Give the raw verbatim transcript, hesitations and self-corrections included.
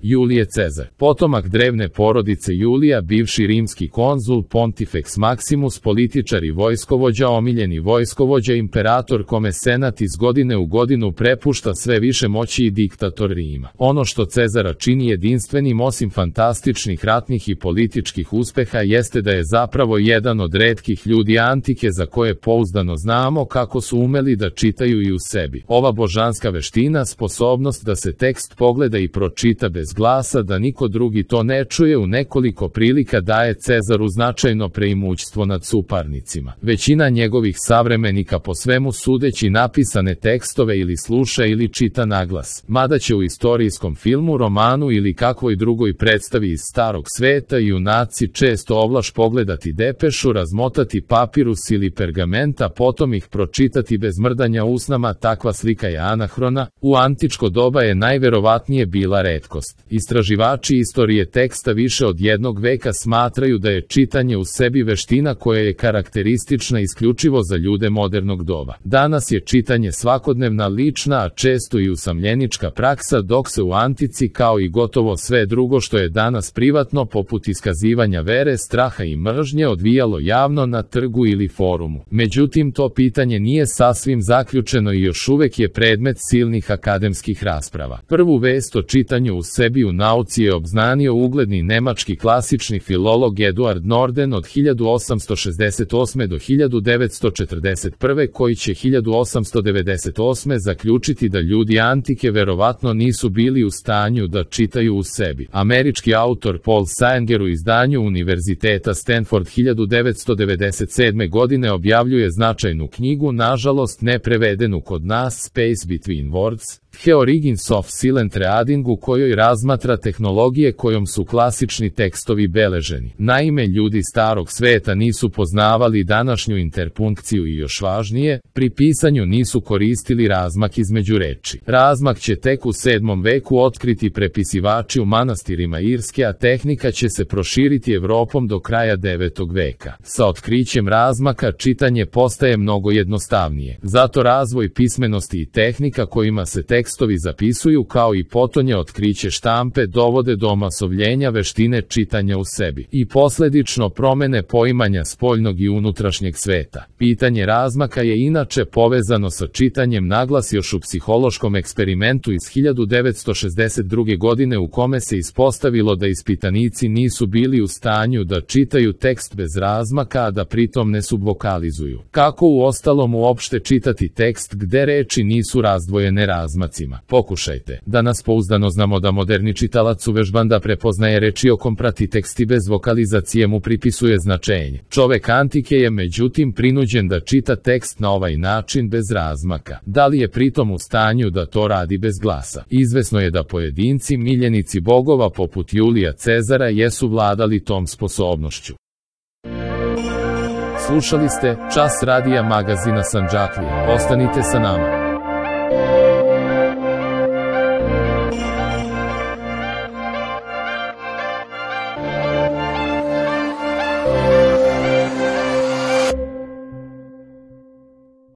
Julije Cezar, potomak drevne porodice Julija, bivši rimski konzul, Pontifex Maximus, političar i vojskovođa, omiljeni vojskovođa, imperator kome senat iz godine u godinu prepušta sve više moći i diktator Rima. Ono što Cezara čini jedinstvenim osim fantastičnih ratnih i političkih uspeha jeste da je zapravo jedan od retkih ljudi antike za koje pouzdano znamo kako su umeli da čitaju i u sebi. Ova božanska veština, sposobnost da se tekst pogleda i pročita bez glasa, da niko drugi to ne čuje, u nekoliko prilika daje Cezaru značajno preimućstvo nad suparnicima. Većina njegovih savremenika po svemu sudeći napisane tekstove ili sluša ili čita naglas, mada će u istorijskom filmu, romanu ili kakvoj drugoj predstavi iz starog sveta junaci često ovlaš pogledati depešu, razmotati papirus ili pergamenta, potom ih pročitati bez mrdanja usnama. Takva slika je anahrona, u antičko doba je najverovatnije bila retkost. Istraživači istorije teksta više od jednog veka smatraju da je čitanje u sebi veština koja je karakteristična isključivo za ljude modernog doba. Danas je čitanje svakodnevna, lična, a često i usamljenička praksa, dok se u antici, kao i gotovo sve drugo što je danas privatno, poput iskazivanja vere, straha i mržnje, odvijalo javno na trgu ili forumu. Međutim, to pitanje nije sasvim zaključeno i još uvek je predmet silnih akademskih rasprava. Prvu vest o čitanju u sebi u nauci je obznanio ugledni nemački klasični filolog Eduard Norden od hiljadu osamsto šezdeset osme do hiljadu devetsto četrdeset prve, koji će hiljadu osamsto devedeset osme zaključiti da ljudi antike verovatno nisu bili u stanju da čitaju u sebi. Američki autor Paul Sanger u izdanju Univerziteta Stanford hiljadu devetsto devedeset sedme godine objavljuje značajnu knjigu, nažalost ne prevedenu kod nas, Space Between Words, The Origins of Silent Reading, u kojoj razmatra tehnologije kojom su klasični tekstovi beleženi. Naime, ljudi starog sveta nisu poznavali današnju interpunkciju i još važnije, pri pisanju nisu koristili razmak između reči. Razmak će tek u sedmom veku otkriti prepisivači u manastirima Irske, a tehnika će se proširiti Evropom do kraja devetog veka. Sa otkrićem razmaka čitanje postaje mnogo jednostavnije. Zato razvoj pismenosti i tehnika kojima se tekstovi zapisuju, kao i potonje otkriće štampe, dovode do omasovljenja veštine čitanja u sebi i posledično promene poimanja spoljnog i unutrašnjeg sveta. Pitanje razmaka je inače povezano sa čitanjem naglas još u psihološkom eksperimentu iz hiljadu devetsto šezdeset druge godine, u kome se ispostavilo da ispitanici nisu bili u stanju da čitaju tekst bez razmaka, a da pritom ne subvokalizuju. Kako uostalom uopšte čitati tekst gde reči nisu razdvojene razmacima? Pokušajte. Danas pouzdano znamo da moderni čitalac uvežban da prepoznaje reči, okom prati tekst i bez vokalizacije mu pripisuje značenje. Čovek antike je međutim prinuđen da čita tekst na ovaj način bez razmaka. Da li je pritom u stanju da to radi bez glasa? Izvesno je da pojedinci, miljenici bogova poput Julija Cezara, jesu vladali tom sposobnošću. Slušali ste Čas radija magazina Sandžaklija. Ostanite sa nama.